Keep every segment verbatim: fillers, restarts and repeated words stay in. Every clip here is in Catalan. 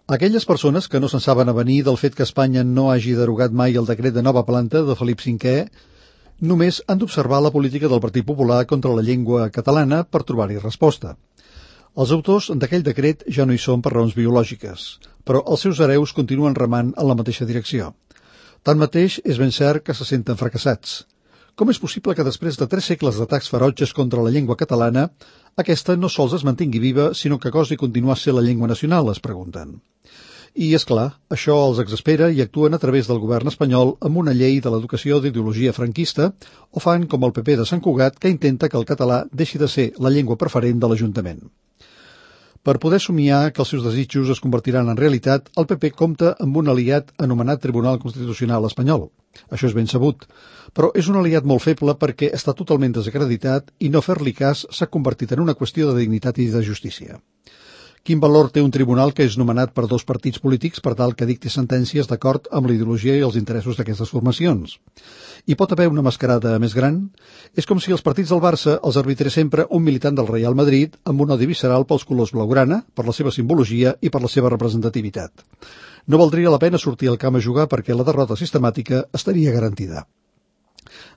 Aquelles persones que no se'n saben avenir del fet que Espanya no hagi derogat mai el decret de nova planta de Felip cinquè només han d'observar la política del Partit Popular contra la llengua catalana per trobar-hi resposta. Els autors d'aquell decret ja no hi són per raons biològiques, però els seus hereus continuen remant en la mateixa direcció. Tanmateix, és ben cert que se senten fracassats. Com és possible que després de tres segles d'atacs ferotges contra la llengua catalana, aquesta no sols es mantingui viva, sinó que gosi continuar sent la llengua nacional, es pregunten. I, és clar, això els exaspera i actuen a través del govern espanyol amb una llei de l'educació d'ideologia franquista o fan com el P P de Sant Cugat, que intenta que el català deixi de ser la llengua preferent de l'Ajuntament. Per poder somiar que els seus desitjos es convertiran en realitat, el P P compta amb un aliat anomenat Tribunal Constitucional Espanyol. Això és ben sabut, però és un aliat molt feble perquè està totalment desacreditat i no fer-li cas s'ha convertit en una qüestió de dignitat i de justícia. Quin valor té un tribunal que és nomenat per dos partits polítics per tal que dicti sentències d'acord amb la ideologia i els interessos d'aquestes formacions? Hi pot haver una mascarada més gran? És com si els partits del Barça els arbitrés sempre un militant del Real Madrid amb un odi visceral pels colors blaugrana, per la seva simbologia i per la seva representativitat. No valdria la pena sortir al camp a jugar perquè la derrota sistemàtica estaria garantida.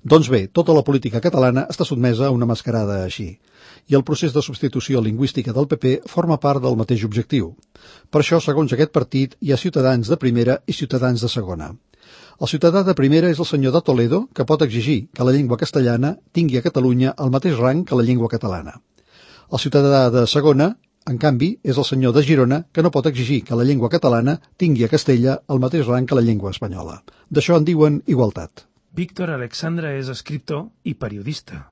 Doncs bé, tota la política catalana està sotmesa a una mascarada així, i el procés de substitució lingüística del P P forma part del mateix objectiu. Per això, segons aquest partit, hi ha ciutadans de primera i ciutadans de segona. El ciutadà de primera és el senyor de Toledo, que pot exigir que la llengua castellana tingui a Catalunya el mateix rang que la llengua catalana. El ciutadà de segona, en canvi, és el senyor de Girona, que no pot exigir que la llengua catalana tingui a Castella el mateix rang que la llengua espanyola. D'això en diuen igualtat. Víctor Alexandra és escriptor i periodista.